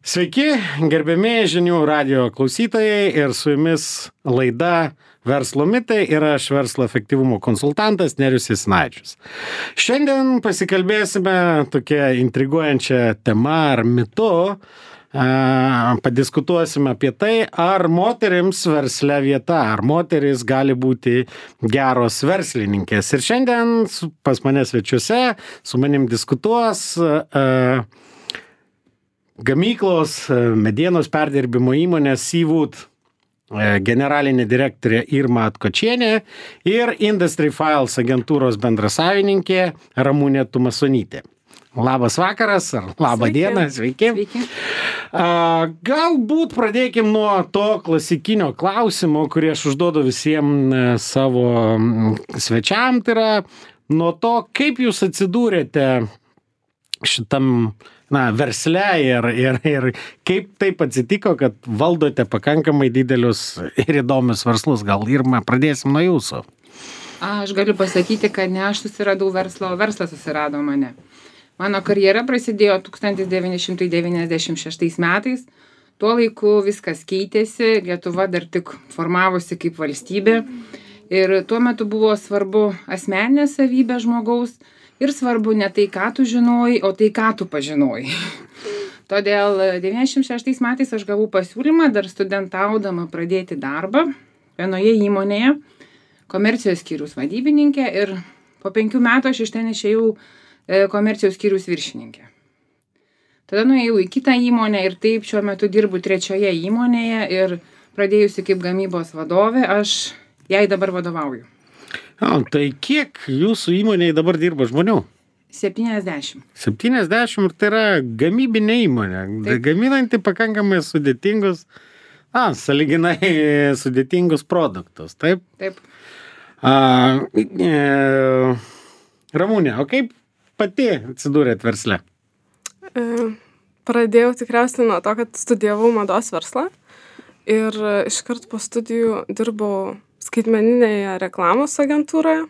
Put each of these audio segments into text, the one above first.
Sveiki, gerbiami žinių radijo klausytojai ir su jumis laida Verslo mitai ir aš verslo efektyvumo konsultantas Nerijus Jasinavičius. Šiandien pasikalbėsime tokia intriguojančia tema ar mitu. Padiskutuosime apie tai, ar moterims versle vieta, ar moteris gali būti geros verslininkės. Ir šiandien pas mane svečiuose su manim diskutuos gamyklos medienos perdirbimo įmonės Seawood generalinė direktorė Irma Atkočienė ir Industry Files agentūros bendrasavininkė Ramunė Tumasonytė. Labas vakaras ar labą dieną, sveiki. Galbūt pradėkim nuo to klasikinio klausimo, kurį aš užduodu visiems savo svečiam, tai yra nuo to, kaip jūs atsidūrėte šitam versle ir kaip taip atsitiko, kad valdote pakankamai didelius ir įdomius verslus. Gal, Irma, pradėsim nuo jūsų. Aš galiu pasakyti, kad ne aš susiradau verslą, o verslas susirado mane. Mano karjera prasidėjo 1996 metais. Tuo laiku viskas keitėsi, Lietuva dar tik formavosi kaip valstybė. Ir tuo metu buvo svarbu asmeninė savybė žmogaus. Ir svarbu ne tai, ką tu žinojai, o tai, ką tu pažinojai. Todėl 96 metais aš gavau pasiūlymą dar studentaudama pradėti darbą vienoje įmonėje, komercijos skyriaus vadybininkė, ir po 5 metų aš iš ten išėjau komercijos skyriaus viršininkė. Tada nuėjau į kitą įmonę ir taip šiuo metu dirbu 3 įmonėje ir pradėjusi kaip gamybos vadovė, aš jai dabar vadovauju. Tai kiek jūsų įmonėje dabar dirba žmonių? 70. 70 ir tai yra gamybinė įmonė, gaminanti pakankamai sudėtingus, sąlyginai sudėtingus produktus, taip? Taip. Ramunė, o kaip pati atsidūrėt versle? Pradėjau tikriausiai nuo to, kad studijavau mados verslą ir iškart po studijų dirbau skaitmeninėje reklamos agentūroje,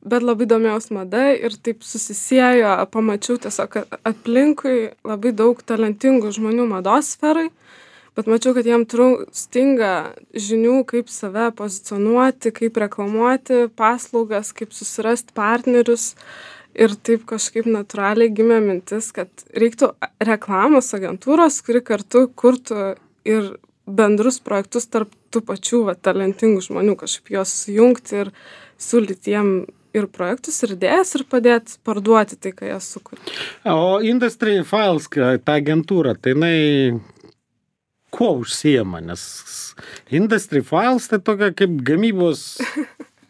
bet labai domėjaus mada ir taip susisiejo, pamačiau tiesiog, kad aplinkui labai daug talentingų žmonių mados sferai, bet mačiau, kad jiem stinga žinių, kaip save pozicionuoti, kaip reklamuoti paslaugas, kaip susirasti partnerius. Ir taip kažkaip natūraliai gimė mintis, kad reiktų reklamos agentūros, kuri kartu kurtų ir bendrus projektus tarp tų pačių talentingų žmonių, kažkaip juos sujungti ir siūlyti jiem ir projektus, ir idėjas, ir padėti parduoti tai, ką jie sukuria. O Industry Files, ta agentūra, tai jinai kuo užsiema? Nes Industry Files tai tokia kaip gamybos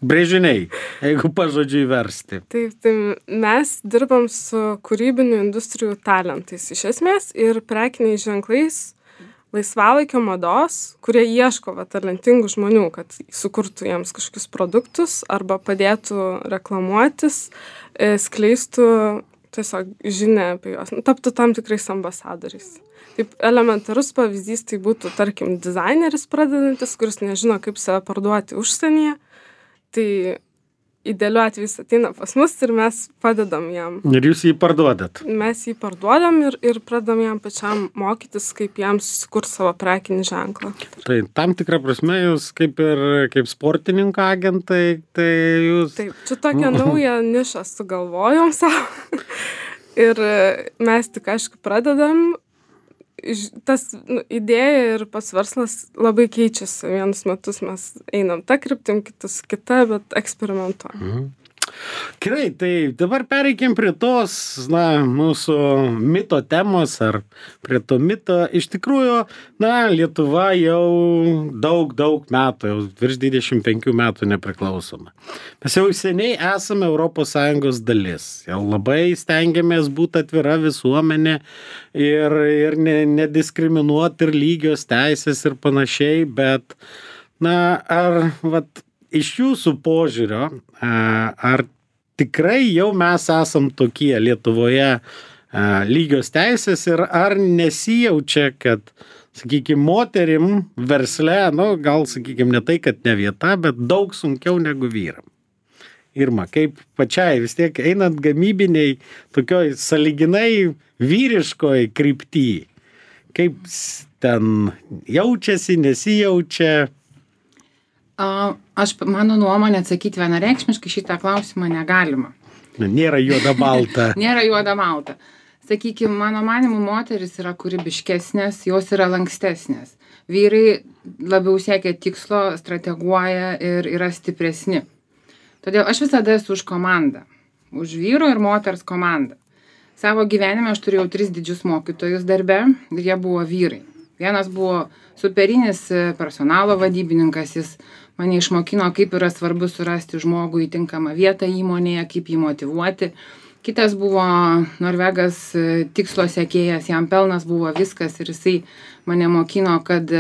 brėžiniai, jeigu pažodžiui versti. Taip, tai mes dirbam su kūrybinių industrijų talentais iš esmės ir prekiniais ženklais laisvalaikio mados, kurie ieško talentingų žmonių, kad sukurtų jiems kažkokius produktus arba padėtų reklamuotis, skleistų tiesiog žinią apie juos, taptų tam tikrais ambasadoriais. Taip, elementarus pavyzdys tai būtų, tarkim, dizaineris pradedantis, kuris nežino, kaip save parduoti užsienyje, tai idealiu atveju jis ateina pas mus ir mes padedam jam. Ir jūs jį parduodat? Mes jį parduodam ir pradedam jam pačiam mokytis, kaip jam susikurti savo prekinį ženklą. Tai tam tikrą prasme jūs kaip sportininko agentai, tai jūs... Taip, čia tokią naują nišą sugalvojom savo. Ir mes tik, aišku, pradedam. Tas idėja ir pats verslas labai keičiasi. Vienus metus mes einam tą kryptim, kitus kitą, bet eksperimentuojam. Gerai, tai dabar pereikim prie tos, mūsų mito temos ar prie to mito. Iš tikrųjų, Lietuva jau daug metų, jau virš 25 metų nepriklausoma. Mes jau seniai esame ES dalis. Jau labai stengiamės būti atvira visuomenė ir nediskriminuoti ir lygios teisės ir panašiai, bet, iš jūsų požiūrio, ar tikrai jau mes esam tokie Lietuvoje lygios teisės ir ar nesijaučia, kad, sakykime, moterim versle, gal, sakykime, ne tai, kad ne vieta, bet daug sunkiau negu vyram? Irma, kaip pačiai vis tiek einant gamybiniai, tokioj sąlyginai vyriškoj krypty, kaip ten jaučiasi, nesijaučia? Mano nuomonė atsakyti vienareikšmiškai šitą klausimą negalima. Nėra juoda balta. Nėra juoda balta. Sakykime, mano manimu, moteris yra kūrybiškesnės, jos yra lankstesnės. Vyrai labiau siekia tikslo, strateguoja ir yra stipresni. Todėl aš visada esu už komandą. Už vyro ir moters komandą. Savo gyvenime aš turėjau 3 didžius mokytojus darbe ir jie buvo vyrai. Vienas buvo superinis personalo vadybininkas, jis mane išmokino, kaip yra svarbu surasti žmogų į tinkamą vietą įmonėje, kaip jį motyvuoti. Kitas buvo Norvegas tikslo sekėjas, jam pelnas buvo viskas ir jisai mane mokino, kad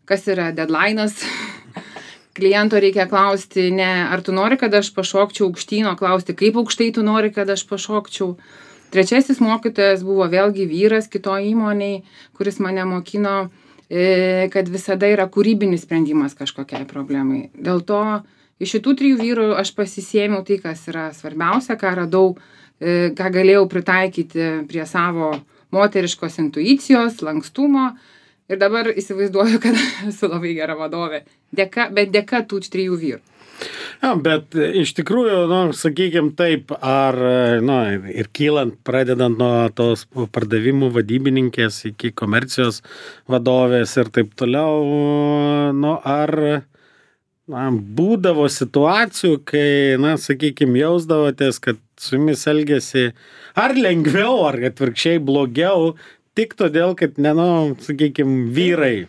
kas yra deadline'as. Kliento reikia klausti, ne ar tu nori, kad aš pašokčiau aukštyn, o klausti, kaip aukštai tu nori, kad aš pašokčiau. Trečiasis mokytojas buvo vėlgi vyras kitoj įmonėj, kuris mane mokino, kad visada yra kūrybinis sprendimas kažkokiai problemai. Dėl to iš šitų 3 vyrų aš pasisėmiau tai, kas yra svarbiausia, ką radau, ką galėjau pritaikyti prie savo moteriškos intuicijos, lankstumo. Ir dabar įsivaizduoju, kad esu labai gera vadovė. Bet dėka tų 3 vyrų. Ja, bet iš tikrųjų, sakykime taip, ar, ir kylant, pradedant nuo tos pardavimų vadybininkės iki komercijos vadovės ir taip toliau, ar būdavo situacijų, kai, sakykime, jausdavotės, kad su jumis elgėsi ar lengviau, ar atvirkščiai blogiau, tik todėl, kad, sakykime, vyrai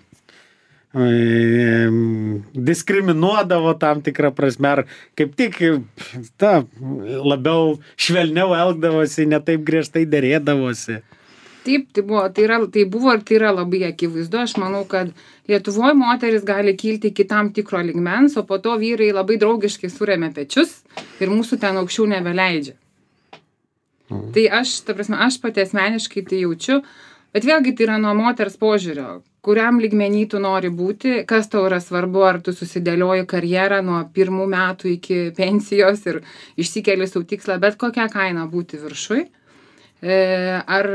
diskriminuodavo tam tikrą prasme, ar kaip tik labiau švelniau elgdavosi, ne taip griežtai derėdavosi. Taip, tai buvo ir tai yra labai akivaizdu. Aš manau, kad Lietuvoje moteris gali kilti iki tam tikro lygmens, o po to vyrai labai draugiškai suremia pečius ir mūsų ten aukščiau nebeleidžia. Tai aš pati asmeniškai tai jaučiu, bet vėlgi tai yra nuo moters požiūrio, kuriam lygmenį tu nori būti, kas tau yra svarbu, ar tu susidėlioji karjerą nuo 1 metų iki pensijos ir išsikeli savo tikslą, bet kokią kainą būti viršui. Ar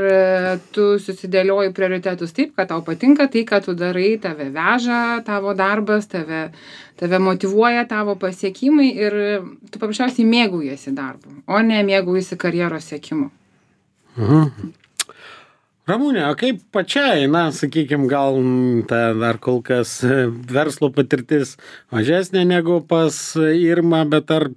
tu susidėlioji prioritetus taip, kad tau patinka tai, ką tu darai, tave veža tavo darbas, tave motyvuoja tavo pasiekimai ir tu paprasčiausiai mėgaujasi darbu, o ne mėgaujasi karjeros siekimu. Ramūnė, o kaip pačiai, sakykime, gal dar kol kas verslo patirtis mažesnė negu pas Irmą, bet ar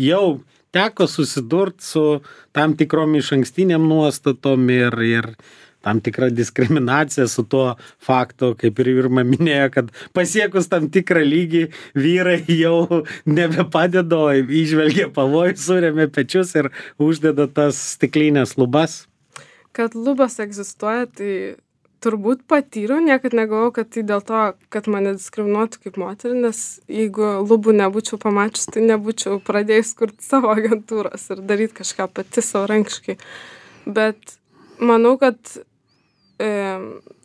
jau teko susidurti su tam tikrom išankstiniam nuostatom ir tam tikra diskriminacija su tuo faktu, kaip ir Irma minėjo, kad pasiekus tam tikrą lygį vyrai jau nebepadeda, įžvelgia pavojų, suremia pečius ir uždeda tas stiklinės lubas? Kad lubos egzistuoja, tai turbūt patyriau, niekad negalvojau, kad tai dėl to, kad mane diskriminuotų kaip moterį, nes jeigu lubų nebūčiau pamačius, tai nebūčiau pradėjus kurti savo agentūros ir daryti kažką pati savarankiškai. Bet manau, kad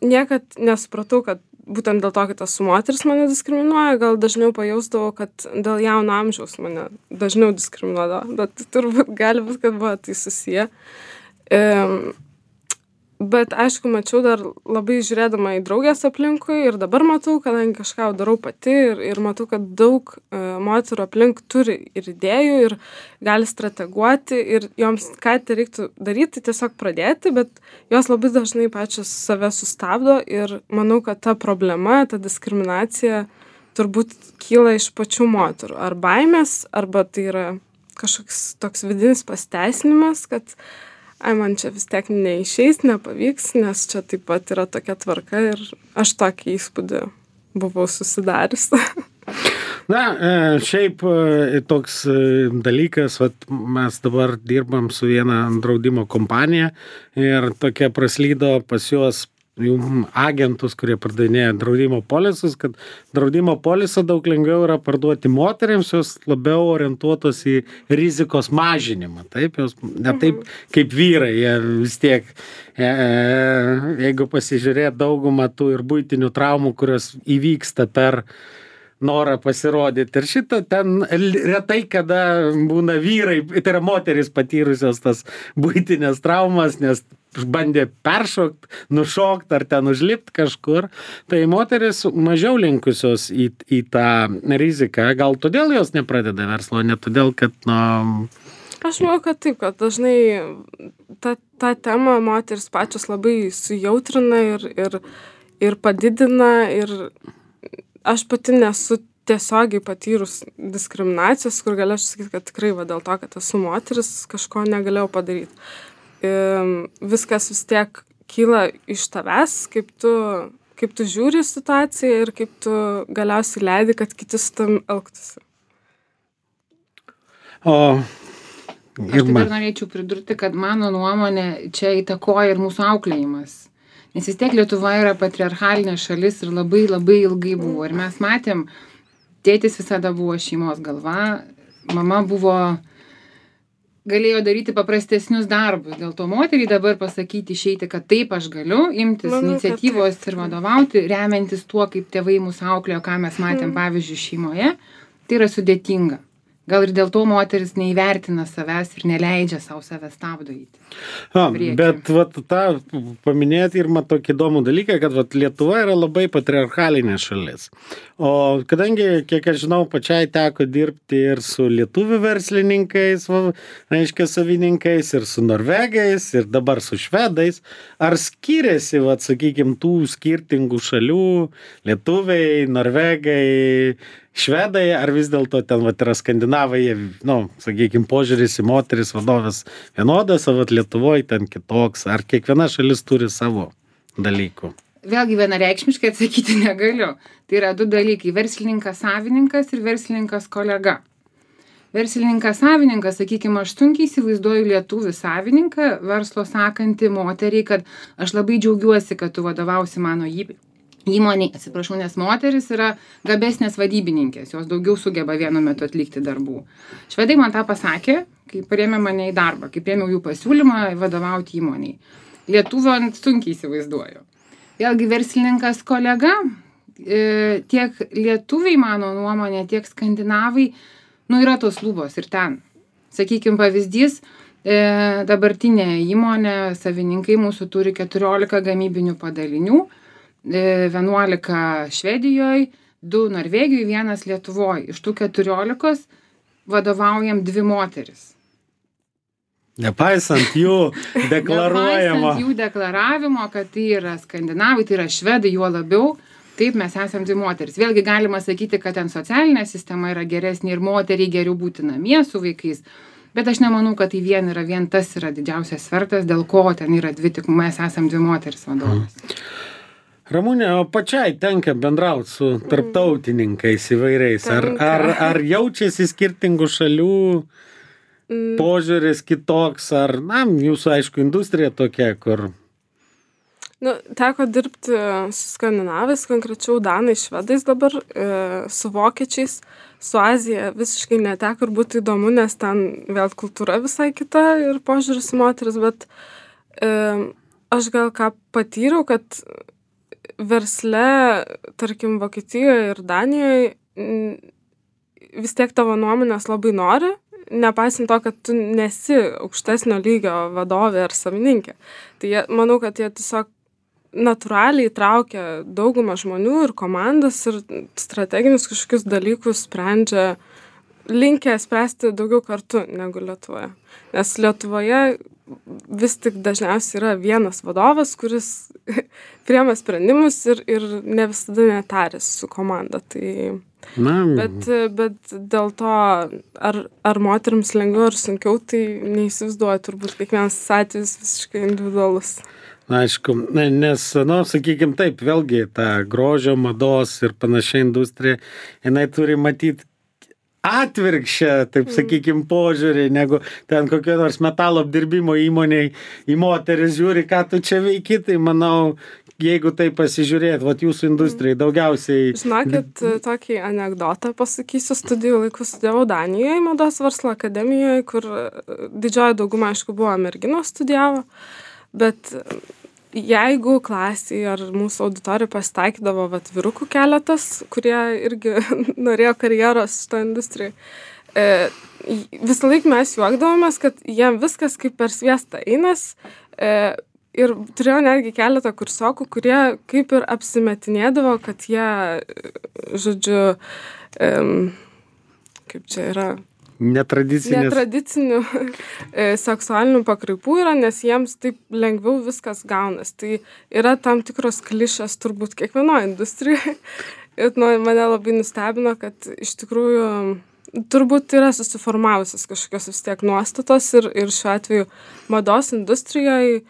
niekad nesupratau, kad būtent dėl to, kad esu moteris mane diskriminuoja, gal dažniau pajausdavau, kad dėl jauno amžiaus mane dažniau diskriminuodavo, bet turbūt gali būti, kad buvo tai susiję. Bet aišku, mačiau dar labai žiūrėdama į draugės aplinkui ir dabar matau, kadangi kažką darau pati ir matau, kad daug moterų aplink turi ir idėjų ir gali strateguoti ir joms ką tai reiktų daryti, tiesiog pradėti, bet jos labai dažnai pačios save sustabdo ir manau, kad ta problema, ta diskriminacija turbūt kyla iš pačių moterų. Ar baimės, arba tai yra kažkoks toks vidinis pasiteisinimas, kad man čia vis tiek neišeis, nepavyks, nes čia taip pat yra tokia tvarka ir aš tokį įspūdį buvau susidariusi. Šiaip toks dalykas, mes dabar dirbam su viena draudimo kompanija ir tokia praslydo pas juos agentus, kurie pardavinėja draudimo polisus, kad draudimo polisą daug lengviau yra parduoti moteriams, jos labiau orientuotos į rizikos mažinimą. Taip, jos ne taip kaip vyrai, jie vis tiek, jeigu pasižiūrėt daugumą tų ir buitinių traumų, kurios įvyksta per norą pasirodyti. Ir šitą ten retai kada būna vyrai, tai yra moterys patyrusios tas buitinės traumas, nes bandė peršokt, nušokt ar ten užlipt kažkur, tai moteris mažiau linkusios į tą riziką. Gal todėl jos nepradeda verslo, ne todėl, kad, Aš manau, kad taip, kad dažnai tą temą moteris pačios labai sujautrina ir padidina, ir aš pati nesu tiesiogiai patyrus diskriminacijos, kur galėčiau sakyti, kad tikrai dėl to, kad esu moteris, kažko negalėjau padaryti. Viskas vis tiek kyla iš tavęs, kaip tu žiūri situaciją ir kaip tu galiausiai leidi, kad kiti su tam elgtųsi. Aš dar norėčiau pridurti, kad mano nuomonė čia įtakoja ir mūsų auklėjimas. Nes vis tiek Lietuva yra patriarchalinė šalis ir labai labai ilgai buvo. Ir mes matėm, tėtis visada buvo šeimos galva, mama galėjo daryti paprastesnius darbus. Dėl to moteriai dabar pasakyti, išeiti, kad taip aš galiu imtis iniciatyvos ir vadovauti, remiantis tuo, kaip tėvai mūsų auklėjo, ką mes matėm pavyzdžiui šeimoje, tai yra sudėtinga. Gal ir dėl to moteris neįvertina savęs ir neleidžia savo savęs stabdyti. Bet tą paminėti ir man tokį įdomų dalyką, kad Lietuva yra labai patriarchalinė šalis. O kadangi, kiek aš žinau, pačiai teko dirbti ir su lietuvių verslininkais, reiškia savininkais, ir su norvegais, ir dabar su švedais, ar skiriasi, sakykime, tų skirtingų šalių, lietuviai, norvegai, švedai, ar vis dėlto ten yra skandinavai, sakykime, požiūris į moteris vadovės vienodas, o Lietuvoje ten kitoks, ar kiekviena šalis turi savo dalykų? Vėlgi vienareikšmiškai atsakyti negaliu. Tai yra du dalykai – verslininkas savininkas ir verslininkas kolega. Verslininkas savininkas, sakykime, aš sunkiai įsivaizduoju lietuvį savininką, verslo sakantį moteriai, kad aš labai džiaugiuosi, kad tu vadovausi mano įmonei, atsiprašau, nes moteris yra gabesnės vadybininkės, jos daugiau sugeba vienu metu atlikti darbų. Švedai man tą pasakė, kai priėmė mane į darbą, kai priėmiau jų pasiūlymą vadovauti įmoniai. Lietuvio sunkiai įsivaizduoju. Vėlgi verslininkas kolega, tiek lietuviai, mano nuomonė, tiek skandinavai, yra tos lubos ir ten. Sakykime, pavyzdys, dabartinė įmonė, savininkai mūsų turi 14 gamybinių padalinių, 11 Švedijoje, 2 Norvegijoje, 1 Lietuvoje. Iš tų 14 vadovaujam 2 moteris. Nepaisant jų deklaruojamo. Nepaisant jų deklaravimo, kad tai yra skandinavai, tai yra švedai, juo labiau. Taip, mes esam 2 moteris. Vėlgi galima sakyti, kad ten socialinė sistema yra geresnė ir moteriai geriau būti namie su vaikais. Bet aš nemanau, kad tai vien tas yra didžiausias svertas, dėl ko ten yra 2, tik mes esam 2 moteris vadovas. Ramūnė, o pačiai tenka bendrauti su tarptautininkais įvairiais. Ar jaučiasi skirtingų šalių požiūris kitoks, ar, jūsų, aišku, industrija tokia, kur... Teko dirbti su skandinavais, konkrečiau danais, švedais dabar, su vokiečiais, su Azija visiškai neteko ir būtų įdomu, nes ten vėl kultūra visai kita ir požiūris į moteris, bet aš gal ką patyriau, kad versle, tarkim, Vokietijoje ir Danijoje vis tiek tavo nuomonės labai nori, nepaisant to, kad tu nesi aukštesnio lygio vadovė ar savininkė. Tai manau, kad jie tiesiog natūraliai traukia daugumą žmonių ir komandas ir strateginius kažkokius dalykus sprendžia, linkę spręsti daugiau kartu negu Lietuvoje. Nes Lietuvoje vis tik dažniausiai yra vienas vadovas, kuris priema sprendimus ir ne visada netarės su komanda. Bet dėl to, ar moterims lengviau ar sunkiau, tai neįsivaizduoju, turbūt kiekvienas atvejis visiškai individualus. Aišku, nes, sakykime taip, vėlgi ta grožio, mados ir panašiai industrija, jinai turi matyti atvirkščią, taip sakykime, požiūrį, negu ten kokio nors metalo apdirbimo įmoniai į moteris žiūri, ką tu čia veiki, tai manau, jeigu tai pasižiūrėt, jūsų industrijai daugiausiai... Žinokit, tokį anekdotą pasakysiu, studijų laikų studijavau Danijoje, mados verslo akademijoje, kur didžioji dauguma, aišku, buvo merginos studijavo, bet jeigu klasėje ar mūsų auditorijoje pasitaikydavo vyrukų keletas, kurie irgi norėjo karjeros šitą industriją, visą laiką mes juokdavomės, kad jiem viskas kaip per sviestą einas, ir turėjau netgi keletą kursiokų, kurie kaip ir apsimetinėdavo, kad jie, žodžiu, kaip čia yra, netradicinių seksualinių pakraipų yra, nes jiems taip lengviau viskas gaunas. Tai yra tam tikros klišės turbūt kiekvienoje industrijoje. Ir mane labai nustebino, kad iš tikrųjų turbūt yra susiformavusios kažkokios vis tiek nuostatos ir šiuo atveju mados industrijoje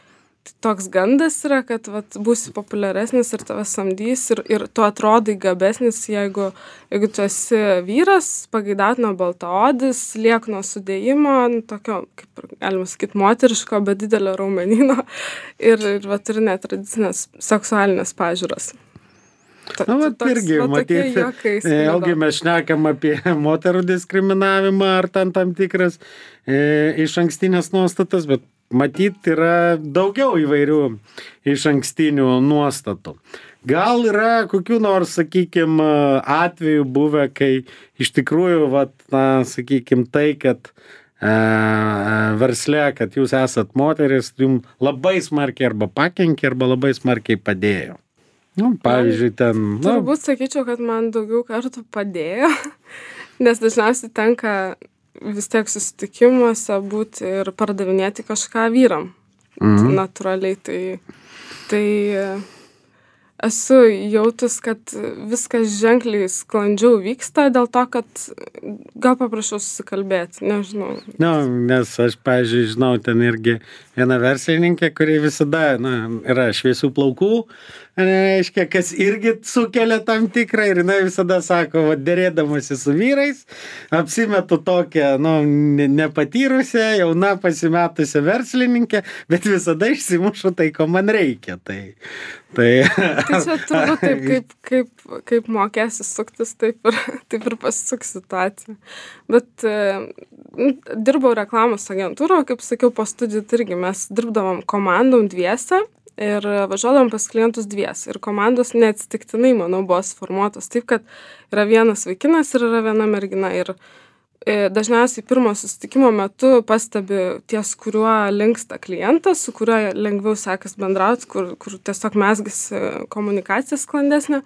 toks gandas yra, kad vat, būsi populiaresnis ir tave samdys ir tu atrodai gabesnis, jeigu tu esi vyras, pageidautino baltaodis, liekno sudėjimo, tokio, kaip galima sakyti, moteriško, bet didelio raumenyno ir va, turi netradicinės seksualinės pažiūros. Irgi, matyti, vėlgi mes šnekam apie moterų diskriminavimą ar tam tikras iš ankstinės nuostatas, bet matyt yra daugiau įvairių iš ankstinių nuostatų. Gal yra kokių nors, sakykime, atvejų buvę, kai iš tikrųjų, sakykime, tai, kad versle, kad jūs esat moteris, jums labai smarkiai arba pakenkė, arba labai smarkiai padėjo. Pavyzdžiui, ten... Turbūt sakyčiau, kad man daugiau kartų padėjo, nes dažniausiai tenka vis tiek susitikimuose būti ir pardavinėti kažką vyram. Natūraliai. Tai esu jautus, kad viskas ženkliai sklandžiau vyksta dėl to, kad gal paprašiau susikalbėti, nežinau. Nes aš, pavyzdžiui, žinau, ten irgi viena verslininkė, kuri visada yra šviesių plaukų, reiškia, kas irgi sukelia tam tikrą ir jinai visada sako, dėrėdamasi su vyrais, apsimetu tokią, nepatyrusią, jauna pasimetusią verslininkę, bet visada išsimušu tai, ko man reikia. Tai čia turbūt taip, kaip mokėsi suktis, taip ir pasisuks situacija. Bet dirbau reklamos agentūroje, kaip sakiau, po studijų irgi mes dirbdavom komandom dviese ir važiuodavom pas klientus dviese. Ir komandos neatsitiktinai, manau, buvo suformuotos taip, kad yra vienas vaikinas ir yra viena mergina. Ir dažniausiai pirmo susitikimo metu pastebi ties, kuriuo linksta klientas, su kuriuo lengviau sekas bendrauti, kur tiesiog mezgasi komunikacija sklandesnė.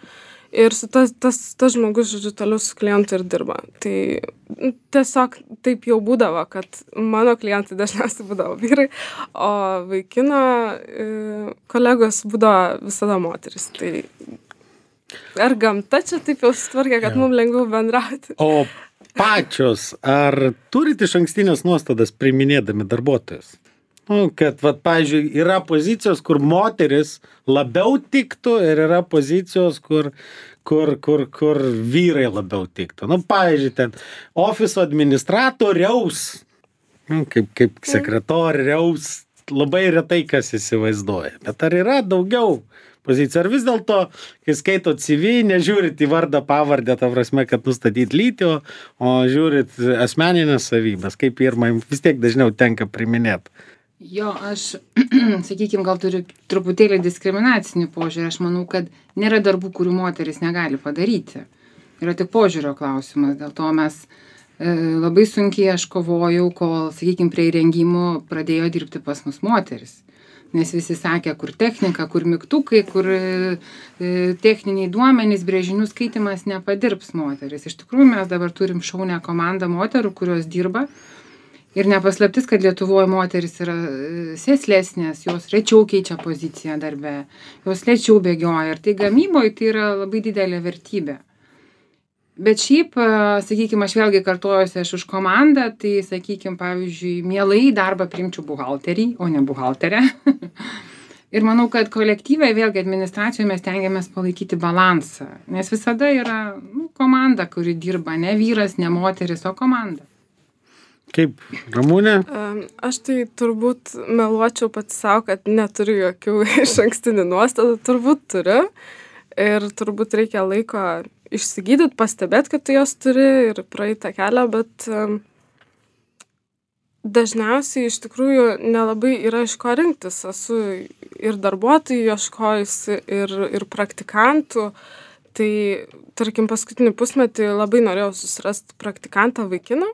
Ir su tas žmogus, žodžiu, toliau su klientu ir dirba. Tai tiesiog taip jau būdavo, kad mano klientai dažniausiai būdavo vyrai, o vaikino kolegos būdavo visada moteris. Tai ar gamta čia taip jau sutvarkė, kad mums lengviau bendrauti? O pačios, ar turit iš ankstinės nuostatas priiminėdami darbuotojus? Kad, pavyzdžiui, yra pozicijos, kur moteris labiau tiktų ir yra pozicijos, kur vyrai labiau tiktų. Pavyzdžiui, ten ofiso administratoriaus, kaip sekretoriaus, labai retai kas įsivaizduoja. Bet ar yra daugiau pozicijų? Ar vis dėlto, kai skaito CV, nežiūrit į vardą, pavardę, ta prasme, kad nustatyt lytį, o žiūrit asmeninės savybės, kaip pirmai vis tiek dažniau tenka priminėti? Jo, aš, sakykime, gal turiu truputėlį diskriminacinį požiūrį. Aš manau, kad nėra darbų, kurių moteris negali padaryti. Yra tik požiūrio klausimas. Dėl to mes labai sunkiai aš kovojau, kol, sakykime, prie įrengimų pradėjo dirbti pas mus moteris. Nes visi sakė, kur technika, kur mygtukai, kur techniniai duomenys, brėžinių skaitimas nepadirbs moteris. Iš tikrųjų, mes dabar turim šaunę komandą moterų, kurios dirba. Ir nepaslaptis, kad Lietuvoje moteris yra sėslesnės, jos rečiau keičia poziciją darbe, jos lėčiau bėgioja. Ir tai gamyboje tai yra labai didelė vertybė. Bet šiaip, sakykime, aš vėlgi kartuojuosi, aš už komandą, tai, sakykime, pavyzdžiui, mielai darbą priimčiau buhalterį, o ne buhalterę. Ir manau, kad kolektyvai, vėlgi administracijoje mes tengiamės palaikyti balansą. Nes visada yra komanda, kuri dirba, ne vyras, ne moteris, o komanda. Kaip, Ramūnė? Aš tai turbūt meluočiau pats savo, kad neturiu jokių iš ankstinių nuostatų. Turbūt turiu. Ir turbūt reikia laiko išsigydyti, pastebėti, kad tu jos turi ir praeitą kelią, bet dažniausiai iš tikrųjų nelabai yra iš ko rinktis. Esu ir darbuotojų ieškojusi, ir praktikantų. Tai, tarkim, paskutinį pusmetį labai norėjau susirasti praktikantą vaikiną.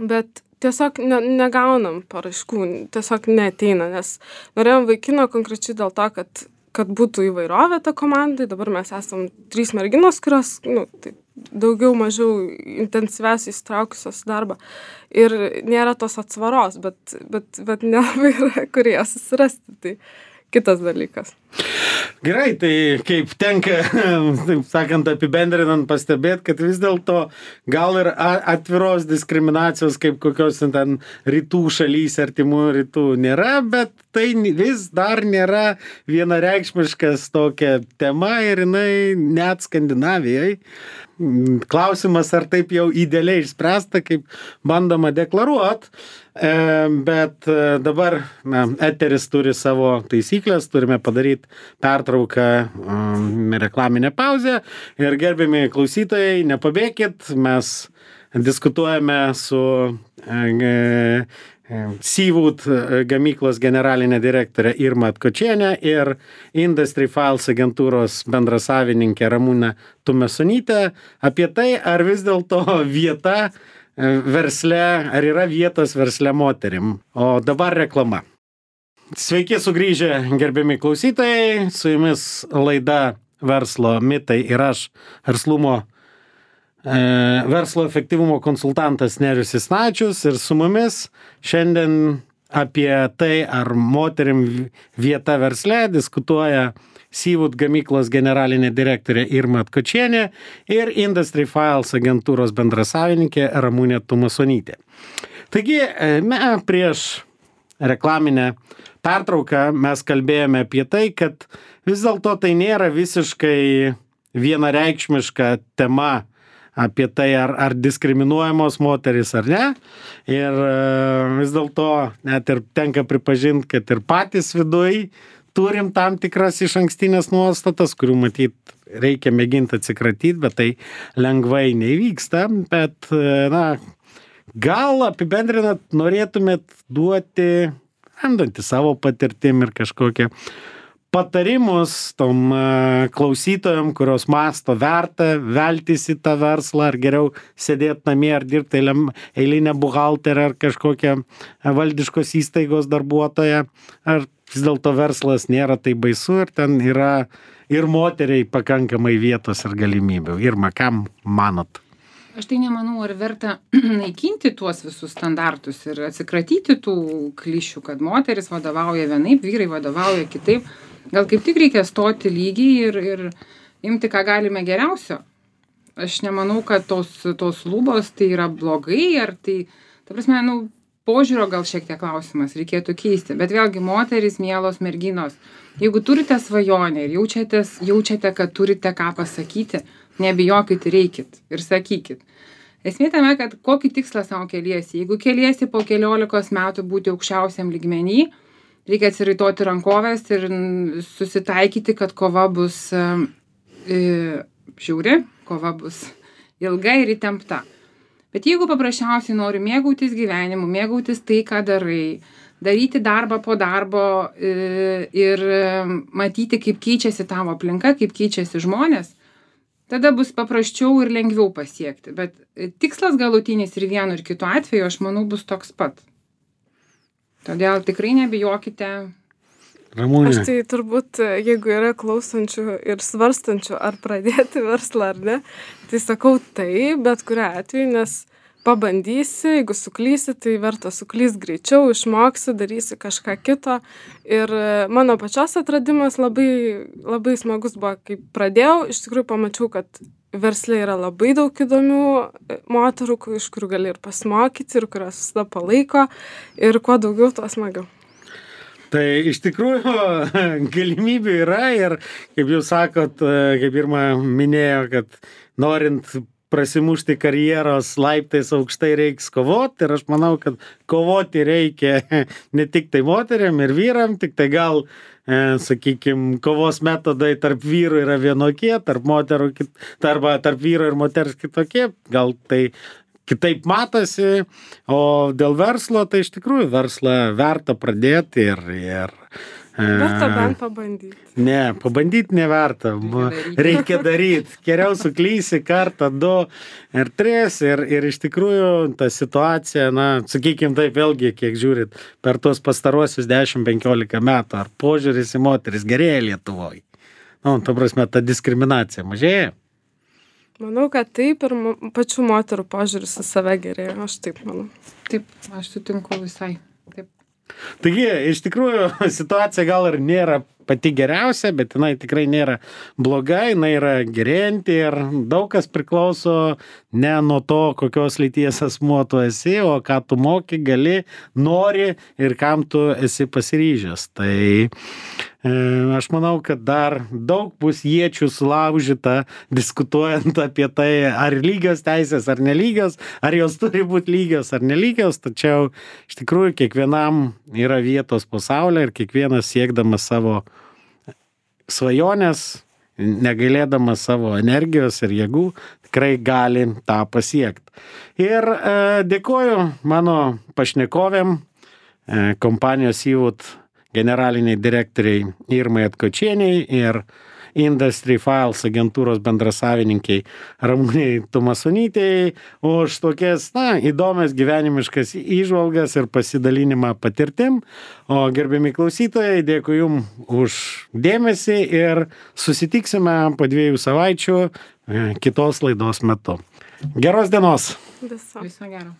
Bet tiesiog negaunam paraiškų, tiesiog neateina, nes norėjom vaikino konkrečiai dėl to, kad būtų įvairovė ta komandai. Dabar mes esam 3 merginos, kurios, tai daugiau mažiau intensyviausiai įsitraukusios darbą. Ir nėra tos atsvaros, bet nelabai yra, kur jas susirasti. Tai kitas dalykas. Gerai, tai kaip tenka, taip sakant, apibendrinant pastebėti, kad vis dėlto gal ir atviros diskriminacijos kaip kokios ten rytų šalys, artimų rytų nėra, bet tai vis dar nėra vienareikšmiškas tokia tema ir jinai net Skandinavijai. Klausimas, ar taip jau idealiai išspręsta, kaip bandoma deklaruot, bet dabar eteris turi savo taisyklės, turime padaryti pertrauką, reklaminę pauzę ir gerbiami klausytojai, nepabėkit, mes diskutuojame su Seawood gamyklos generalinė direktorė Irma Atkočienė ir Industry Files agentūros bendrasavininkė Ramūnė Tumesonytė apie tai, ar vis dėlto vieta versle, ar yra vietos versle moterim. O dabar reklama. Sveiki sugrįžę, gerbiami klausytojai, su jumis laida Verslo mitai ir aš, verslo efektyvumo konsultantas Nerijus Isnačius, ir su mumis šiandien apie tai, ar moterim vieta versle, diskutuoja Seawood gamyklos generalinė direktorė Irma Atkočienė ir Industry Files agentūros bendrasavininkė Ramūnė Tumesonytė. Taigi, prieš reklaminę pertrauką mes kalbėjome apie tai, kad vis dėlto tai nėra visiškai vienareikšmiška tema apie tai, ar diskriminuojamos moterys ar ne. Ir vis dėlto net ir tenka pripažinti, kad ir patys viduj turim tam tikras išankstinės nuostatas, kurių matyt reikia mėginti atsikratyti, bet tai lengvai neįvyksta. Bet, gal apibendrinat norėtumėt duoti, remdantį savo patirtim ir kažkokią patarimus tom klausytojom, kurios masto verta veltis į tą verslą, ar geriau sėdėti namie, ar dirbti eilinę buhalterę, ar kažkokią valdiškos įstaigos darbuotoją, ar vis dėlto verslas nėra tai baisu ir ten yra ir moteriai pakankamai vietos ir galimybių. Irma, kam manot? Aš tai nemanau, ar verta naikinti tuos visus standartus ir atsikratyti tų klišių, kad moteris vadovauja vienaip, vyrai vadovauja kitaip. Gal kaip tik reikia stoti lygiai ir imti, ką galime geriausio. Aš nemanau, kad tos lubos tai yra blogai, ar tai, ta prasme, požiūrio gal šiek tiek klausimas reikėtų keisti. Bet vėlgi, moterys, mielos merginos, jeigu turite svajonę ir jaučiate, kad turite ką pasakyti, nebijokit ir eikit ir sakykit. Esmė tame, kad kokį tikslą savo keliesi. Jeigu keliesi po 15 metų būti aukščiausiam lygmenį, reikia atsiraitoti rankovės ir susitaikyti, kad kova bus žiauri, kova bus ilga ir įtempta. Bet jeigu paprasčiausiai nori mėgautis gyvenimu, mėgautis tai, ką darai, daryti darbą po darbo ir matyti, kaip keičiasi tavo aplinka, kaip keičiasi žmonės, tada bus paprasčiau ir lengviau pasiekti. Bet tikslas galutinis ir vienu ir kitu atveju, aš manau, bus toks pat. Todėl tikrai nebijokite. Ramūnė. Aš tai turbūt, jeigu yra klausančių ir svarstančių, ar pradėti verslą ar ne, tai sakau tai, bet kuriuo atveju, nes pabandysi, jeigu suklysi, tai verta suklysti greičiau, išmoksi, darysi kažką kito. Ir mano pačios atradimas labai, labai smagus buvo, kai pradėjau, iš tikrųjų pamačiau, kad versle yra labai daug įdomių moterų, iš kurių gali ir pasimokyti, ir kurios visada palaiko, ir kuo daugiau, tuo smagiau. Tai iš tikrųjų galimybių yra ir, kaip jūs sakot, kaip Irma minėjo, kad norint prasimušti karjeros laiptais aukštai reiks kovoti, ir aš manau, kad kovoti reikia ne tik tai moteriam ir vyram, tik tai gal, sakykime, kovos metodai tarp vyrų yra vienokie, tarp moterų, arba tarp vyro ir moters kitokie, gal tai kitaip matosi, o dėl verslo, tai iš tikrųjų verslą verta pradėti ir Verta bent pabandyti. Ne, pabandyti neverta. Reikia daryti. Geriau suklysi kartą, 2 ir 3 ir iš tikrųjų ta situacija, sakykim taip vėlgi, kiek žiūrit, per tuos pastaruosius 10-15 metų, ar požiūris į moteris gerėja Lietuvoje? Ta prasme, ta diskriminacija mažėja? Manau, kad taip ir pačių moterų požiūris į save gerėja, aš taip manau. Taip, aš sutinku visai. Taip. Taigi, iš tikrųjų, situacija gal ir nėra pati geriausia, bet jinai tikrai nėra bloga, jinai yra gerėjanti ir daug kas priklauso ne nuo to, kokios lyties asmuo tu esi, o ką tu moki, gali, nori ir kam tu esi pasiryžęs. Tai aš manau, kad dar daug bus iečių sulaužyta, diskutuojant apie tai, ar lygios teisės, ar nelygios, ar jos turi būti lygios, ar nelygios, tačiau iš tikrųjų kiekvienam yra vietos pasaulyje ir kiekvienas siekdamas savo svajonės, negailėdamas savo energijos ir jėgų, tikrai gali tą pasiekti. Ir dėkoju mano pašnekovėm, kompanijos Seawood generaliniai direktoriai Irmai Atkočieniai ir Industry Files agentūros bendrasavininkiai Ramūnei Tumasonytei už tokias, įdomias gyvenimiškas įžvalgas ir pasidalinimą patirtim. O gerbiami klausytojai, dėkui jums už dėmesį ir susitiksime po 2 savaičių kitos laidos metu. Geros dienos! Viso Viso gero.